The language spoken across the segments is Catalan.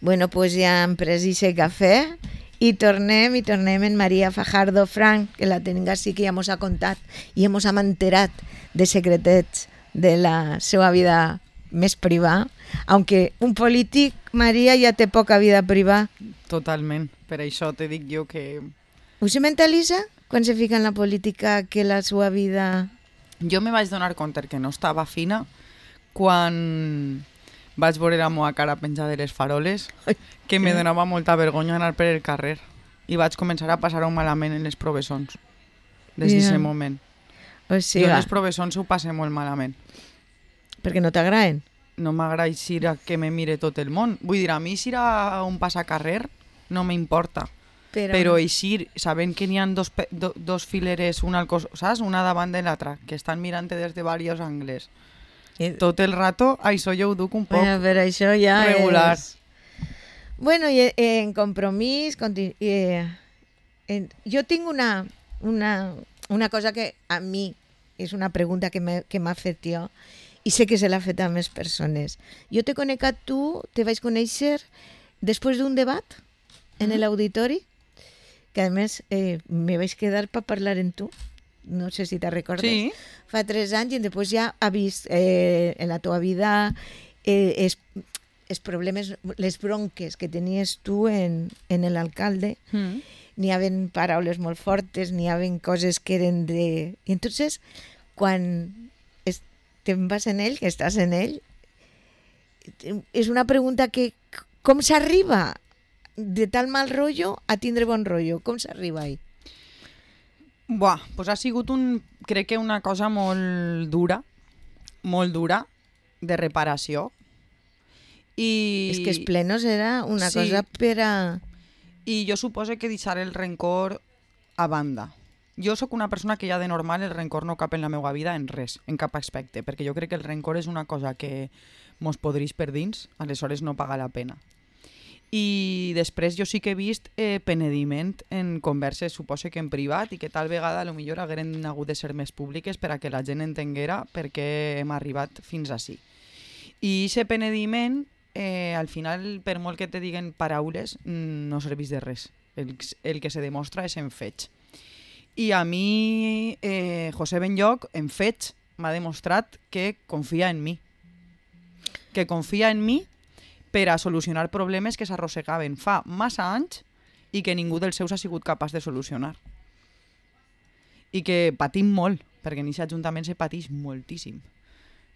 Bueno, pues ja hem pres ixe cafè i tornem en Maria Fajardo Frank, que la tenim així, que ja mos ha contat i mos hem enterat de secretets de la seva vida més privada, aunque un polític, Maria, ja té poca vida privada. Totalment, per això te dic jo que... Ho se mentalitza quan se fica en la política que la seva vida... Jo me vaig donar compte que no estava fina quan vaig veure la meva cara penjada de les faroles, que me donava molta vergonya anar per el carrer i vaig començar a passar-ho malament en les professons des d'aquest moment. O sigui, jo en les professons ho passe molt malament. Perquè no t'agraden? No m'agrada eixir a que me mire tot el món. Vull dir, a mi eixir a un passacarrer no m'importa. Però eixir sabent que n'hi ha dos fileres, saps? Una davant de l'altra, que estan mirant des de diversos angles. Tot el rato, això jo ho duc un poc però això ja regular. Bueno, i en Compromís, jo tinc una cosa que a mi és una pregunta que m'ha fet jo i sé que se l'ha fet a més persones. Jo te conec a tu, te vaig conèixer després d'un debat en l'auditori, que a més me vaig quedar per parlar amb tu, no sé si te recordes. Sí. Fa 3 anys i després ja ha vist en la teva vida els problemes, les bronques que tenies tu en l'alcalde. N'hi havia paraules molt fortes, n'hi havia coses que eren de... I entonces, quan te'n vas en ell, que estàs en ell, és una pregunta que com s'arriba de tal mal rotllo a tindre bon rotllo? Com s'arriba ahí? Buah, pues ha sigut crec que una cosa molt dura de reparació. És que els plenos era una cosa per a... I jo suposo que deixar el rencor a banda. Jo sóc una persona que ja de normal el rencor no cap en la meva vida en res, en cap aspecte, perquè jo crec que el rencor és una cosa que mos podreix per dins, aleshores no paga la pena. I després jo sí que he vist penediment en converses, suposo que en privat, i que tal vegada potser hagueren hagut de ser més públiques per a que la gent entenguera per què hem arribat fins ací. I aquest penediment, al final, per molt que te diguen paraules, no serveix de res. El que se demostra és en fets. I a mi, José Benlloch, en fets, m'ha demostrat que confia en mi. Que confia en mi per a solucionar problemes que s'arrossegaven fa massa anys i que ningú dels seus ha sigut capaç de solucionar. I que patim molt, perquè en aquest ajuntament se pateix moltíssim.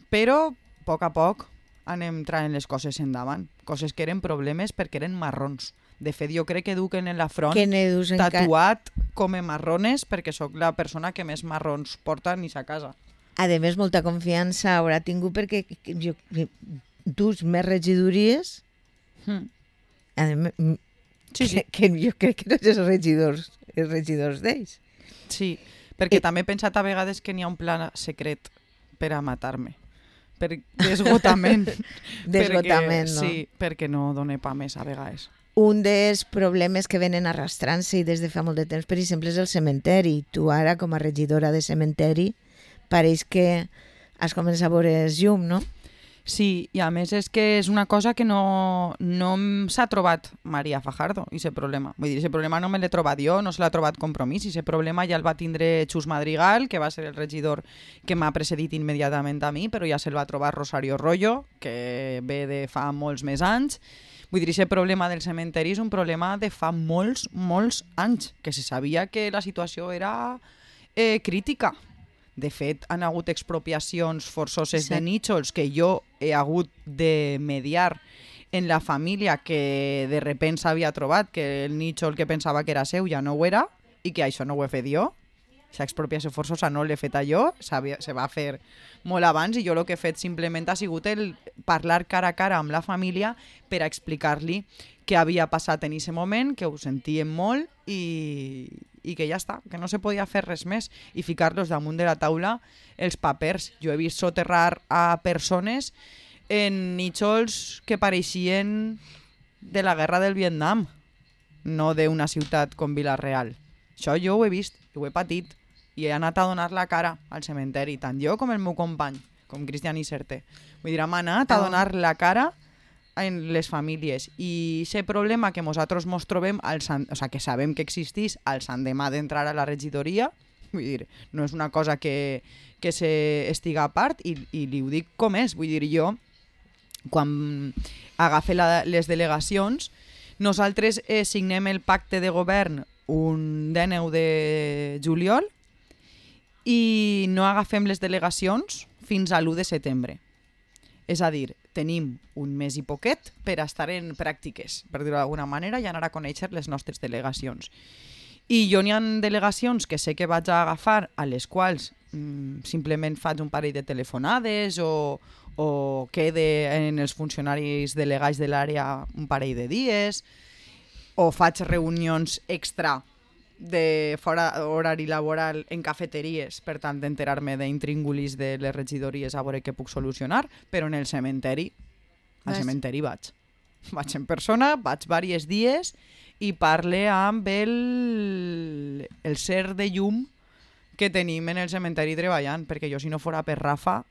Però, a poc, anem traient les coses endavant. Coses que eren problemes perquè eren marrons. De fet, jo crec que duquen en la front tatuat com a marrones perquè sóc la persona que més marrons porta ni sa casa. A més, molta confiança haurà tingut perquè dus més regidories. Sí. Que jo crec que no ets els regidors d'ells. Sí, perquè també he pensat a vegades que n'hi ha un pla secret per a matar-me. Per d'esgotament. D'esgotament, no? Sí, perquè no dona pa més a vegades. Un dels problemes que venen arrastrant-se i des de fa molt de temps, per exemple, és el cementeri. Tu ara, com a regidora de cementeri, pareix que has començat a veure llum, no? Sí, i a més és que és una cosa que no s'ha trobat Maria Fajardo, aquest problema. Vull dir, aquest problema no me l'he trobat jo, no se l'ha trobat Compromís, i aquest problema ja el va tindre Xus Madrigal, que va ser el regidor que m'ha precedit immediatament a mi, però ja se'l va trobar Rosario Rollo, que ve de fa molts més anys. Vull dir, aquest problema del cementeri és un problema de fa molts anys, que se sabia que la situació era crítica. De fet, han hagut expropiacions forçoses de nítxols que jo he hagut de mediar en la família que de repent s'havia trobat que el nítxol que pensava que era seu ja no ho era i que això no ho he fet jo. Aquesta expropiació forçosa no l'he feta jo, se va fer molt abans i jo el que he fet simplement ha sigut el parlar cara a cara amb la família per a explicar-li què havia passat en aquest moment, que ho sentíem molt i que ja està, que no se podia fer res més i ficar-los damunt de la taula els papers. Jo he vist soterrar a persones en nítxols que pareixien de la guerra del Vietnam, no d'una ciutat com Vila-real. Això jo ho he vist, ho he patit i he anat a donar la cara al cementeri, tant jo com el meu company, com Cristian Iserte. Vull dir, hem anat a donar la cara en les famílies. I aquest problema que nosaltres mos trobem, que sabem que existís al l'endemà d'entrar a la regidoria, vull dir, no és una cosa que estiga a part, i li ho dic com és. Vull dir, jo, quan agafe les delegacions, nosaltres signem el pacte de govern un 19 de juliol i no agafem les delegacions fins a l'1 de setembre. És a dir, tenim un mes i poquet per estar en pràctiques, per dir-ho d'alguna manera, i anar a conèixer les nostres delegacions. I jo n'hi ha delegacions que sé que vaig a agafar, a les quals simplement faig un parell de telefonades o quede en els funcionaris delegats de l'àrea un parell de dies, o faig reunions extra de fora horari laboral en cafeteries, per tant d'enterar-me d'intríngulis de les regidories a veure què puc solucionar, però en el cementeri, al cementeri vaig en persona, vaig diversos dies i parle amb el ser de llum que tenim en el cementeri treballant, perquè jo si no fora per Rafa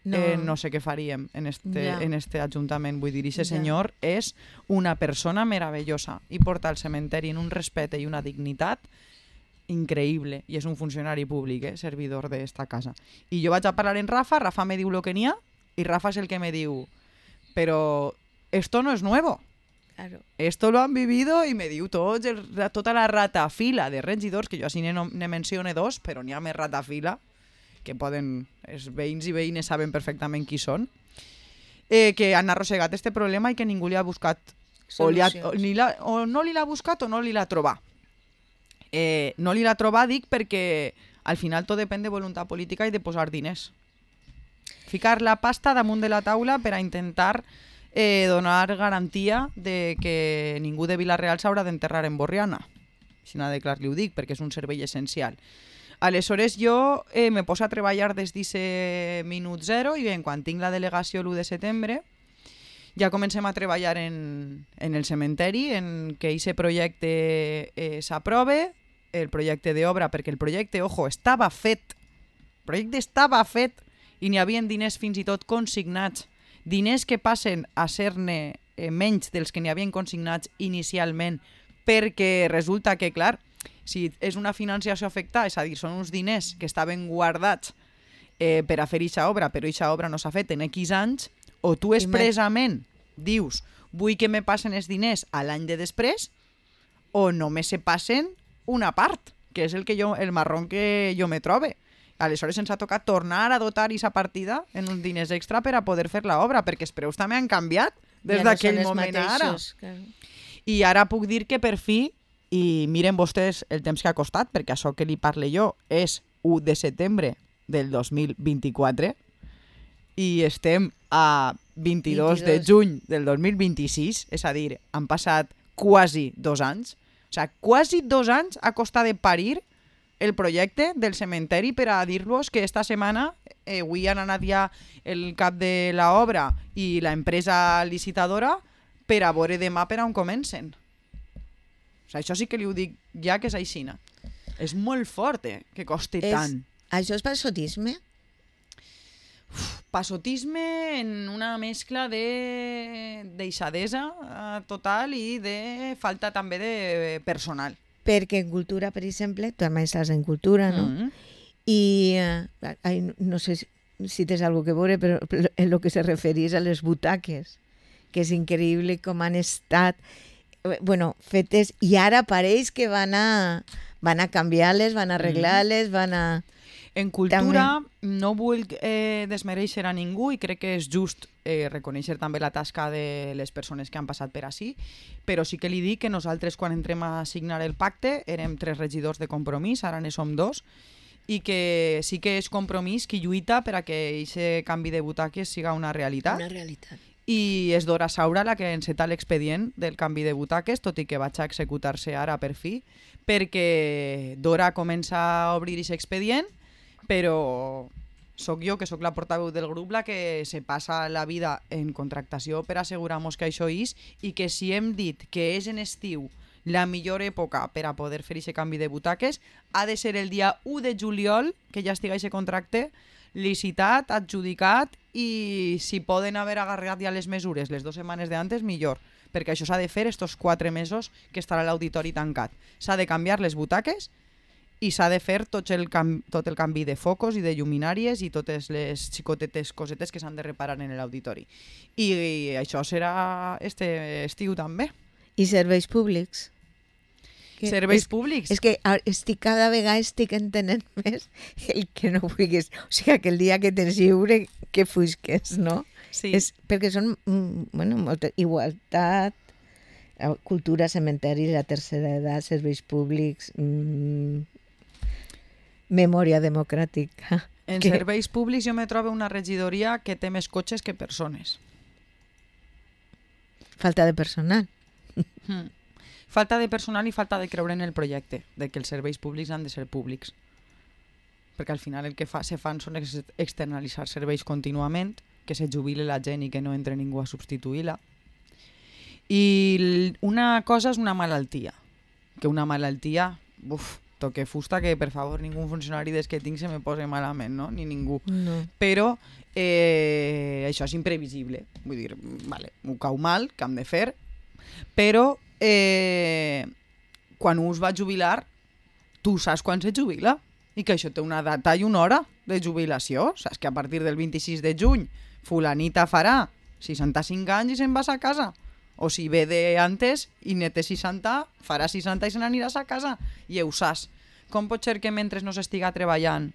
no sé què faríem en este ajuntament. Vull dir, aquest senyor és una persona meravellosa i porta el cementeri en un respecte i una dignitat increïble, i és un funcionari públic, servidor d'esta casa. I jo vaig a parlar en Rafa me diu lo que n'hi ha, i Rafa és el que me diu, però esto no es nuevo. Claro. Esto lo han vivido, i me diu tota la ratafila de regidors, que jo així ne mencione dos, però n'hi ha més ratafila, que els veïns i veïnes saben perfectament qui són, que han arrossegat este problema i que ningú li ha buscat o no li l'ha buscat o no li l'ha trobat. No li l'ha trobat, dic, perquè al final tot depèn de voluntat política i de posar diners. Ficar la pasta damunt de la taula per a intentar donar garantia de que ningú de Vila-real s'haurà d'enterrar en Borriana. Si no de clar li ho dic, perquè és un servei essencial. Aleshores jo me poso a treballar des d'aquest minut zero, i bé, quan tinc la delegació l'1 de setembre ja comencem a treballar en el cementeri, en que aquest projecte s'aprove, el projecte d'obra, perquè el projecte, ojo, estava fet. El projecte estava fet i n'hi havia diners fins i tot consignats. Diners que passen a ser-ne menys dels que n'hi havien consignats inicialment, perquè resulta que, clar, si és una financiació afectada, és a dir, són uns diners que estaven guardats per a fer eixa obra, però eixa obra no s'ha fet en X anys, o tu expressament dius vull que me passen els diners a l'any de després, o només se passen una part, que és el marrón que jo me trobe. Aleshores ens ha tocat tornar a dotar aquesta partida en uns diners extra per a poder fer l'obra, perquè els preus també han canviat des d'aquell moment a ara. I ara puc dir que per fi, i miren vostès el temps que ha costat, perquè això que li parle jo és 1 de setembre del 2024 i estem a 22 de juny del 2026, és a dir, han passat quasi 2 anys. O sigui, quasi 2 anys ha costat de parir el projecte del cementeri, per a dir-vos que esta setmana avui han anat ja el cap de l'obra i l'empresa licitadora per a veure demà per on comencen. O sigui, això sí que li ho dic ja, que és aixina. És molt fort, que costi tant. Això és passotisme? Passotisme en una mescla de deixadesa total i de falta també de personal. Perquè en cultura, per exemple, tu també estàs en cultura, no? I no sé si tens alguna cosa que veure, però en el que se referís a les butaques, que és increïble com han estat fetes, i ara pareix que van a canviar-les, van a arreglar-les, van a... En cultura no vull desmereixer a ningú, i crec que és just reconèixer també la tasca de les persones que han passat per ací, però sí que li dic que nosaltres, quan entrem a signar el pacte, érem 3 regidors de Compromís, ara ne som 2, i que sí que és Compromís qui lluita per a que aquest canvi de butaques siga una realitat. Una realitat. I és Dora Saura la que enceta l'expedient del canvi de butaques, tot i que vaig a executar-se ara per fi, perquè Dora comença a obrir aquest expedient, però sóc jo, que sóc la portaveu del grup, la que se passa la vida en contractació per assegurar-nos que això és, i que si hem dit que és en estiu la millor època per a poder fer aquest canvi de butaques, ha de ser el dia 1 de juliol, que ja estigui aquest contracte, licitat, adjudicat, i si poden haver agarrat ja les mesures les 2 setmanes d'antes, millor, perquè això s'ha de fer estos 4 mesos que estarà l'auditori tancat. S'ha de canviar les butaques i s'ha de fer tot el canvi de focus i de lluminàries i totes les xicotetes cosetes que s'han de reparar en l'auditori. I això serà este estiu també. I serveis públics? Serveis públics? És que cada vegada estic entenent més el que no vulguis. O sigui, que el dia que tens lliure, que fusques, no? Sí. Perquè són, molta igualtat, cultura, cementeris, la tercera edat, serveis públics, memòria democràtica. En serveis públics jo me trobo una regidoria que té més cotxes que persones. Falta de personal. Falta de personal i falta de creure en el projecte, de que els serveis públics han de ser públics. Perquè al final el que se fan són externalitzar serveis contínuament, que se jubile la gent i que no entre ningú a substituir-la. I una cosa és una malaltia. Que una malaltia, toque fusta, que per favor ningú funcionari des que tinc se me posi malament, no? Ni ningú. No. Però això és imprevisible. Vull dir, vale, m'ho cau mal, que hem de fer, però quan un es va jubilar, tu saps quan se jubila i que això té una data i una hora de jubilació. Saps que a partir del 26 de juny fulanita farà 65 anys i se'n vas a casa. O si ve d'antes i ne té 60, farà 60 i se n'aniràs a casa. I ho saps. Com pot ser que mentre no s'estiga treballant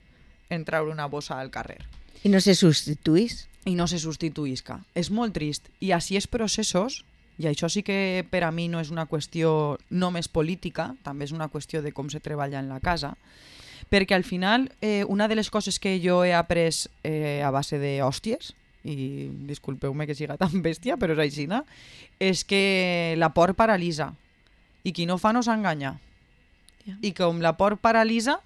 en treure una bossa al carrer? I no se substituís? I no se substituïsca. És molt trist. I així els processos, i això sí que per a mi no és una qüestió només política, també és una qüestió de com se treballa en la casa, perquè al final una de les coses que jo he après a base d'hòsties, i disculpeu-me que siga tan bèstia, però és així, és que la por paralitza i qui no fa no s'enganya. I com la por paralitza,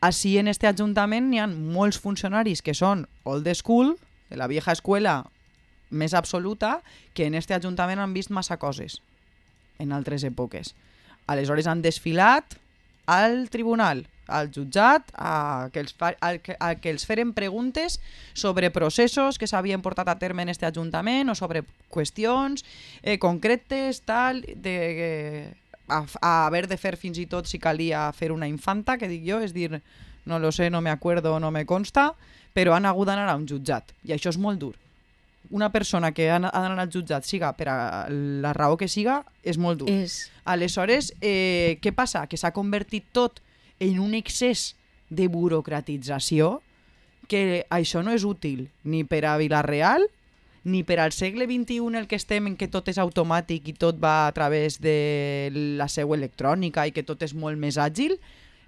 així en este ajuntament n'hi ha molts funcionaris que són old school, de la vieja escuela més absoluta, que en este ajuntament han vist massa coses en altres èpoques. Aleshores han desfilat al tribunal, al jutjat, a que els feren preguntes sobre processos que s'havien portat a terme en este ajuntament o sobre qüestions concretes, tal, a haver de fer fins i tot si calia fer una infanta, que dic jo, és dir, no lo sé, no me acuerdo, no me consta, però han hagut d'anar a un jutjat, i això és molt dur. Una persona que ha d'anar al jutjat, siga per a la raó que siga, és molt dur. Aleshores, què passa? Que s'ha convertit tot en un excés de burocratització, que això no és útil ni per a Vila-real, ni per al segle XXI en el que estem, en què tot és automàtic i tot va a través de la seu electrònica i que tot és molt més àgil.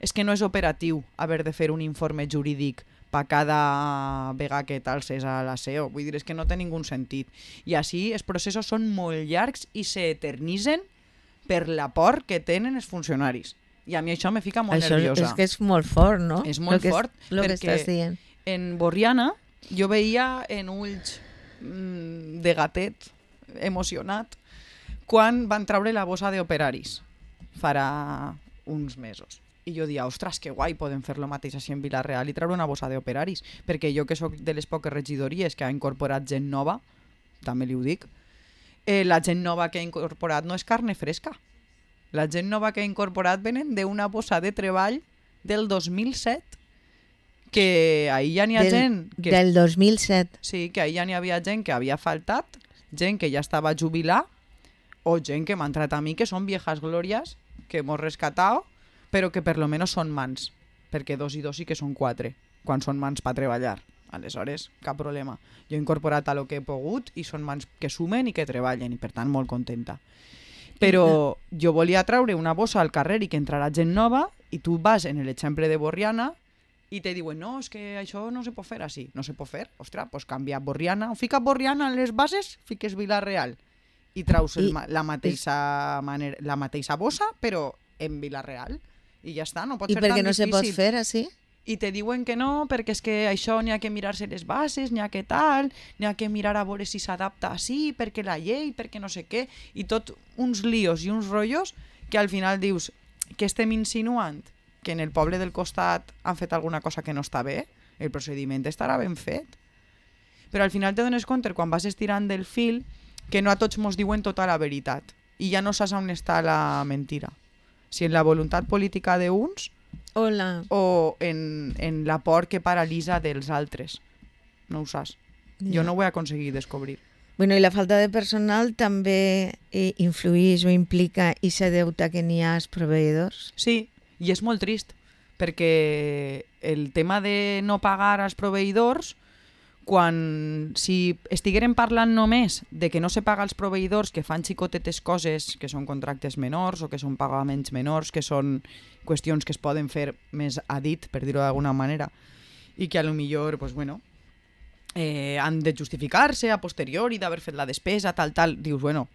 És que no és operatiu haver de fer un informe jurídic per cada vegada que t'alces a la SEO. Vull dir, és que no té ningú sentit. I així els processos són molt llargs i s'eternitzen per la por que tenen els funcionaris. I a mi això me fica molt nerviosa. És que és molt fort, no? És molt fort, perquè en Borriana jo veia en ulls de gatet emocionat quan van treure la bossa d'operaris farà uns mesos. I jo dia, ostres, que guai, podem fer lo mateix així en Vila-real i treure una bossa d'operaris, perquè jo que sóc de les poques regidories que ha incorporat gent nova, també li ho dic, la gent nova que ha incorporat no és carne fresca. La gent nova que ha incorporat venen d'una bossa de treball del 2007, que ahir ja n'hi ha gent... Del 2007. Sí, que ahir ja n'hi havia gent que havia faltat, gent que ja estava jubilar, o gent que m'ha entrat a mi, que són viejas glòries, que hemos rescatado, però que per lo menos són mans, perquè 2 i 2 sí que són 4, quan són mans per treballar. Aleshores, cap problema. Jo he incorporat a lo que he pogut i són mans que sumen i que treballen, i per tant molt contenta. Però jo volia treure una bossa al carrer i que entrarà gent nova, i tu vas en l'exemple de Borriana i te diuen, no, és que això no se pot fer així. No se pot fer? Ostres, doncs canvia Borriana, o fica Borriana en les bases, fiques Vila-real i traus la mateixa bossa, però en Vila-real. I ja està, no pot ser tan difícil. I per què no se pot fer així? I te diuen que no, perquè és que això n'hi ha que mirar-se les bases, n'hi ha que tal, n'hi ha que mirar a veure si s'adapta així, perquè la llei, perquè no sé què, i tot uns líos i uns rotllos que al final dius, que estem insinuant? Que en el poble del costat han fet alguna cosa que no està bé? el procediment estarà ben fet. Però al final te dones compte, quan vas estirant del fil, que no a tots mos diuen tota la veritat. I ja no saps on està la mentira. Si en la voluntat política d'uns o en la por que paralitza dels altres. No ho saps. Jo no ho he aconseguit descobrir. Bueno, i la falta de personal també influeix o implica aquest deute que n'hi ha als proveïdors? Sí, i és molt trist, perquè el tema de no pagar als proveïdors, si estiguérem parlant només de que no se paga als proveïdors que fan xicotetes coses, que són contractes menors o que són pagaments menors, que són qüestions que es poden fer més a dit, per dir-ho d'alguna manera, i que a lo millor, pues bueno, han de justificar-se a posteriori d'haver fet la despesa, tal, dius, bueno,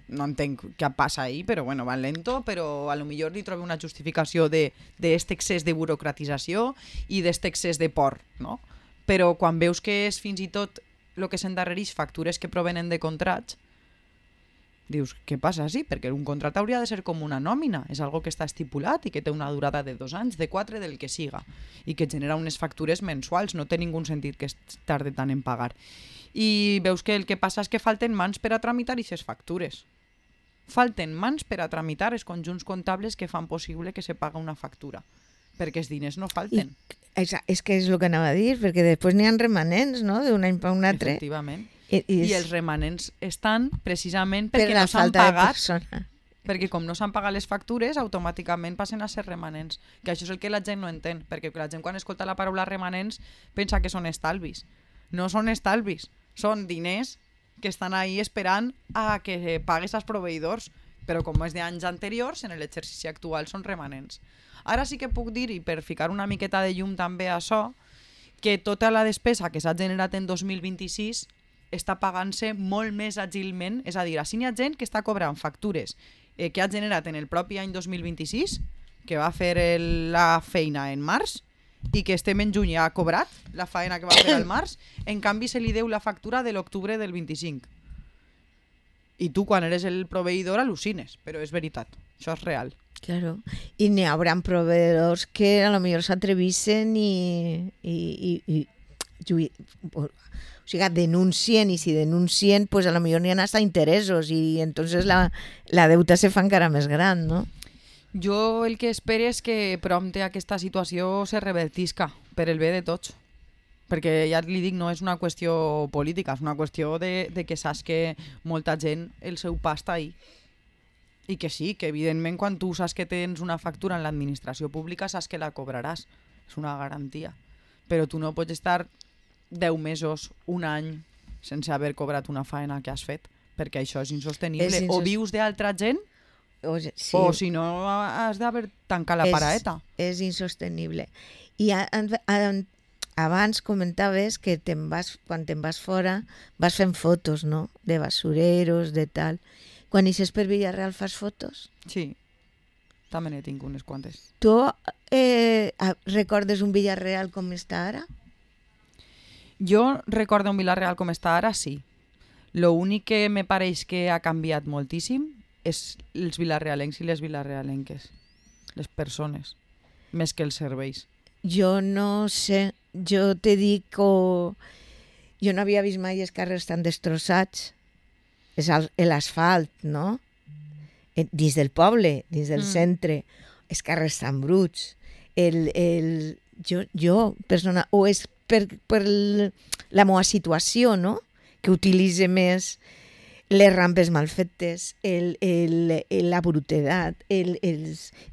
no entenc què passa ahí, però bueno, van lento, però a lo millor li trobo una justificació d'este excés de burocratització i d'este excés de por, no? Però quan veus que és fins i tot el que s'endarrereix factures que provenen de contrats, dius, què passa? Sí, perquè un contracte hauria de ser com una nòmina, és algo que està estipulat i que té una durada de 2 anys, de 4, del que siga, i que genera unes factures mensuals, no té ningú sentit que es tarde tant en pagar. I veus que el que passa és que falten mans per a tramitar aquestes factures. Falten mans per a tramitar els conjunts comptables que fan possible que se paga una factura, perquè els diners no falten. És que és el que anava a dir, perquè després n'hi ha remanents, no?, d'un any per un altre. Efectivament. I els remanents estan precisament perquè no s'han pagat. Perquè com no s'han pagat les factures, automàticament passen a ser remanents. Que això és el que la gent no entén, perquè la gent quan escolta la paraula remanents pensa que són estalvis. No són estalvis, són diners que estan ahí esperant a que pagues als proveïdors, però com és d'anys anteriors, en l'exercici actual són remanents. Ara sí que puc dir, i per ficar una miqueta de llum també a això, que tota la despesa que s'ha generat en 2026 està pagant-se molt més àgilment, és a dir, així n'hi ha gent que està cobrant factures que ha generat en el propi any 2026, que va fer la feina en març, i que estem en juny i ha cobrat la feina que va fer al març, en canvi se li deu la factura de l'octubre del 25. I tu, quan eres el proveïdor, al·lucines, però és veritat, això és real. Claro, i n'hi haurà proveïdors que a lo millor s'atrevissen o sigui, denuncien, i si denuncien, pues a lo millor n'hi ha hasta interessos i entonces la deuta se fa encara més gran, no? Jo el que espero és que prompte aquesta situació se revertisca per el bé de tots. Perquè ja li dic, no és una qüestió política, és una qüestió de que saps que molta gent el seu pa està ahí. I que sí, que evidentment quan tu saps que tens una factura en l'administració pública saps que la cobraràs. És una garantia. Però tu no pots estar 10 mesos, un any, sense haver cobrat una feina que has fet, perquè això és insostenible. O vius d'altra gent, sí. O si no has d'haver tancat la paraeta. És insostenible. I abans comentaves que quan te'n vas fora vas fent fotos, no?, de basureros, de tal. Quan ixes per Villarreal fas fotos? Sí, també n'he tingut unes quantes. Tu recordes un Villarreal com està ara? Jo recordo un Villarreal com està ara, sí. Lo únic que me pareix que ha canviat moltíssim és els vilarrealencs i les vilarrealenques, les persones, més que els serveis. Jo no sé, jo te dic que jo no havia vist mai els carrers tan destrossats. És l'asfalt, no? Dins del poble, dins del centre, els carrers tan bruts. Jo, persona, o és per la meva situació, no?, que utilitze més les rampes mal fetes, la brutedat,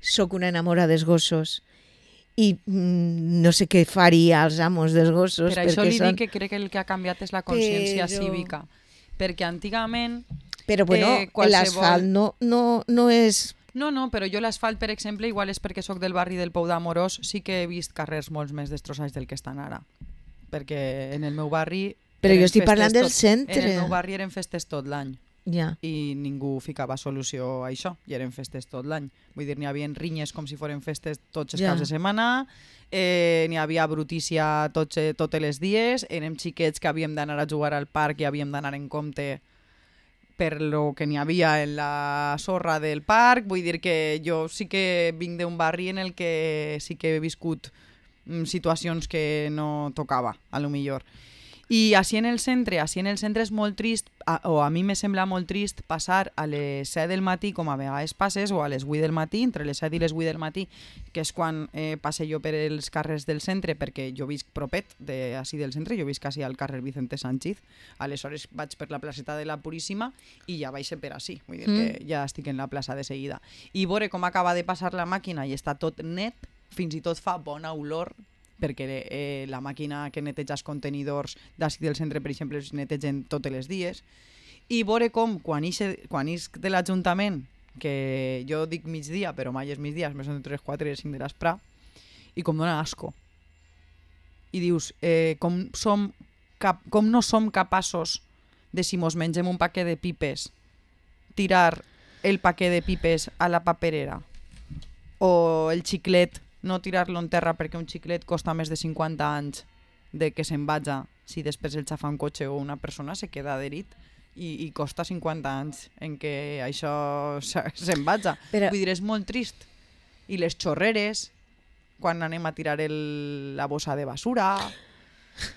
soc una enamora dels gossos i no sé què faria als amos dels gossos. Per això li dic que crec que el que ha canviat és la consciència cívica. Perquè antigament... Però bueno, l'asfalt no és... No, però jo l'asfalt, per exemple, igual és perquè sóc del barri del Pou d'Amorós, sí que he vist carrers molt més destrossats del que estan ara. Perquè en el meu barri... Però jo estic parlant del centre. En el meu barri eren festes tot l'any. Ja. I ningú ficava solució a això, i eren festes tot l'any. Vull dir, n'hi havia rinyes com si foren festes tots els caps de setmana, n'hi havia brutícia tots els dies, érem xiquets que havíem d'anar a jugar al parc i havíem d'anar en compte per lo que n'hi havia en la sorra del parc. Vull dir que jo sí que vinc d'un barri en el que sí que he viscut situacions que no tocava, a lo millor. I així en el centre és molt trist, o a mi me sembla molt trist passar a les 7 del matí, com a vegades passes, o a les 8 del matí, entre les 7 i les 8 del matí, que és quan passe jo per els carrers del centre, perquè jo visc propet d'ací del centre, jo visc quasi al carrer Vicente Sánchez, aleshores vaig per la placeta de la Puríssima i ja baixo per ací, vull dir que ja estic en la plaça de seguida. I veure com acaba de passar la màquina i està tot net, fins i tot fa bona olor, perquè la màquina que neteja els contenidors d'ací del centre, per exemple, es netegen tots els dies, i veure com quan isc de l'Ajuntament, que jo dic migdia, però mai és migdia, més són 3, 4 i 5 de l'esprà, i com dona asco. I dius, com no som capaços de, si mos mengem un paquet de pipes, tirar el paquet de pipes a la paperera, o el xiclet, no tirar-lo en terra perquè un xiclet costa més de 50 anys de que se'n vaja si després el xafa un cotxe o una persona se queda adherit i costa 50 anys en què això se'n vaja. Però... vull dir, és molt trist. I les xorreres, quan anem a tirar la bossa de basura...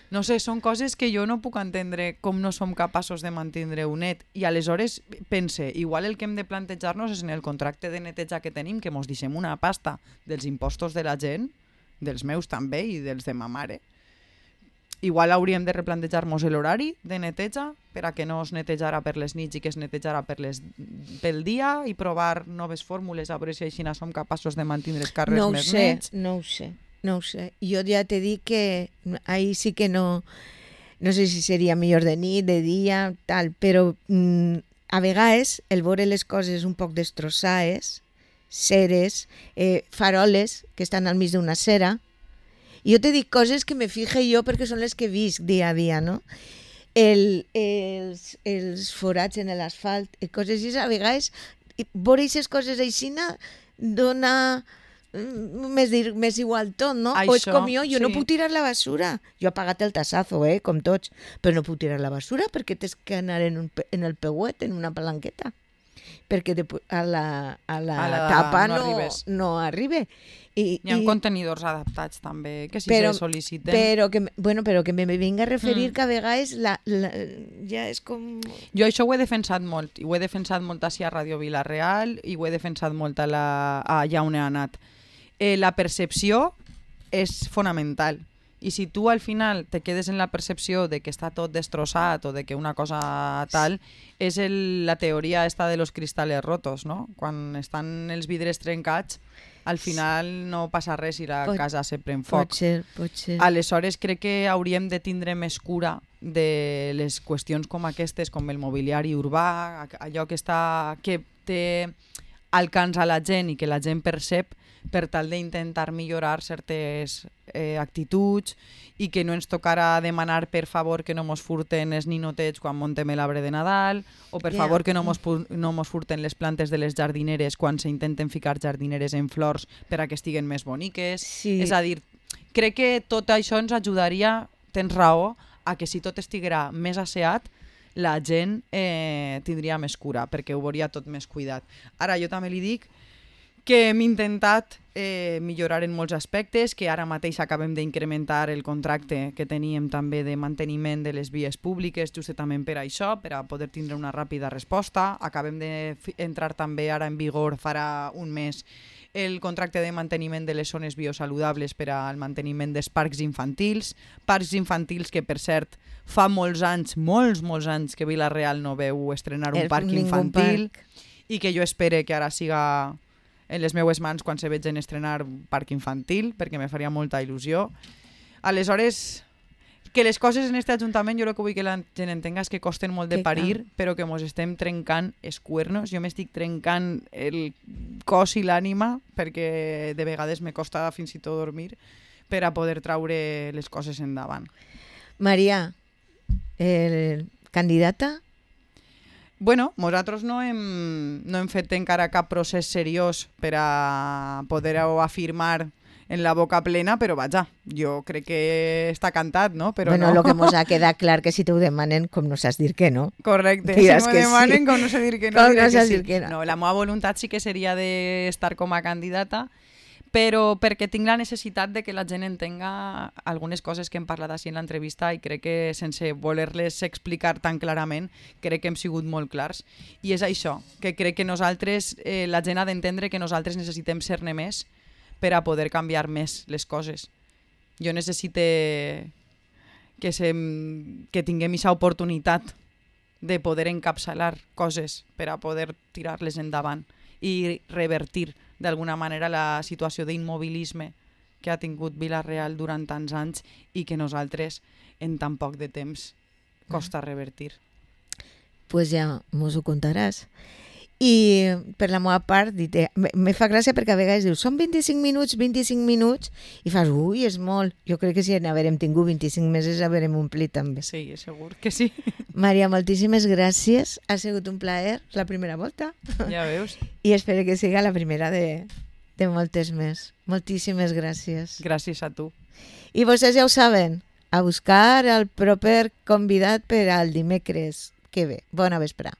No sé, són coses que jo no puc entendre com no som capaços de mantenir-ho net. I aleshores pense, igual el que hem de plantejar-nos és en el contracte de neteja que tenim, que mos deixem una pasta dels impostos de la gent, dels meus també i dels de ma mare. Igual hauríem de replantejar-nos l'horari de neteja per a que no es netejara per les nits i que es netejara pel dia i provar noves fórmules a veure si així som capaços de mantenir els carrers més nets. No ho sé, jo ja t'he dit que ahí sí que no sé si seria millor de nit, de dia, tal, però a vegades el veure les coses un poc destrossades, ceres, faroles que estan al mig d'una cera, i jo t'he dit coses que me fixe jo perquè són les que visc dia a dia, no? Els forats en l'asfalt, coses així, a vegades veure aquestes coses així dona... més igual tot, no? Això, o és com jo sí. No puc tirar la basura. Jo he pagat el tassazo, com tots, però no puc tirar la basura perquè tens que anar en el peuet, en una palanqueta, perquè a la tapa no arriba. Hi ha contenidors adaptats també, que si se sol·liciten... Però que me vinga a referir que a vegades ja és com... Jo això ho he defensat molt, i ho he defensat molt així a Ràdio Vila-real i ho he defensat molt allà on he anat. La percepció és fonamental. I si tu al final te quedes en la percepció de que està tot destrossat o de que una cosa tal, és la teoria esta de los cristales rotos, no? Quan estan els vidres trencats, al final no passa res i la casa se pren foc. Pot ser. Aleshores crec que hauríem de tindre més cura de les qüestions com aquestes, com el mobiliari urbà, allò que té alcance a la gent i que la gent percep, per tal d'intentar millorar certes actituds i que no ens tocara demanar per favor que no mos furten els ninotets quan montem l'arbre de Nadal o per favor que no mos furten les plantes de les jardineres quan s'intenten ficar jardineres en flors per a que estiguen més boniques. Sí. És a dir, crec que tot això ens ajudaria, tens raó, a que si tot estiguera més asseat la gent tindria més cura perquè ho veuria tot més cuidat. Ara jo també li dic que hem intentat millorar en molts aspectes, que ara mateix acabem d'incrementar el contracte que teníem també de manteniment de les vies públiques, justament per això, per a poder tindre una ràpida resposta. Acabem d'entrar també ara en vigor, farà un mes, el contracte de manteniment de les zones biosaludables per al manteniment dels parcs infantils que, per cert, fa molts anys que Vila-real no veu estrenar un parc infantil i que jo espere que ara siga en les meues mans quan se vegin estrenar un parc infantil, perquè me faria molta il·lusió. Aleshores, que les coses en aquest ajuntament, jo el que vull que la gent entenga és que costen molt de parir, però que mos estem trencant els cuernos. Jo m'estic trencant el cos i l'ànima, perquè de vegades me costa fins i tot dormir, per a poder traure les coses endavant. Maria, candidata? Bueno, nosaltres no hem fet encara cap procés seriós per a poder-ho afirmar en la boca plena, però vaja, jo crec que està cantat, no? Però bueno, no. Lo que mos ha quedat clar que si t'ho demanen, com no saps dir que no. Correcte, diràs si m'ho demanen, sí. Com no sé dir que no, com diré no que saps sí. dir que no. No, la meva voluntat sí que seria d'estar com a candidata, però perquè tinc la necessitat de que la gent entenga algunes coses que hem parlat així en l'entrevista i crec que sense voler-les explicar tan clarament, crec que hem sigut molt clars. I és això, que crec que nosaltres, la gent ha d'entendre que nosaltres necessitem ser-ne més per a poder canviar més les coses. Jo necessite que tinguem aquesta oportunitat de poder encapçalar coses per a poder tirar-les endavant i revertir d'alguna manera la situació d'immobilisme que ha tingut Vila-real durant tants anys i que nosaltres en tan poc de temps costa revertir. Pues ja mos ho contaràs. I per la meva part, me fa gràcia perquè a vegades dius, són 25 minuts, i fas, ui, és molt. Jo crec que si n'haverem tingut 25 mesos haverem omplit també. Sí, segur que sí. Maria, moltíssimes gràcies. Ha sigut un plaer la primera volta. Ja veus. I espero que siga la primera de moltes més. Moltíssimes gràcies. Gràcies a tu. I vostès ja ho saben, a buscar el proper convidat per al dimecres que ve. Bona vesprà.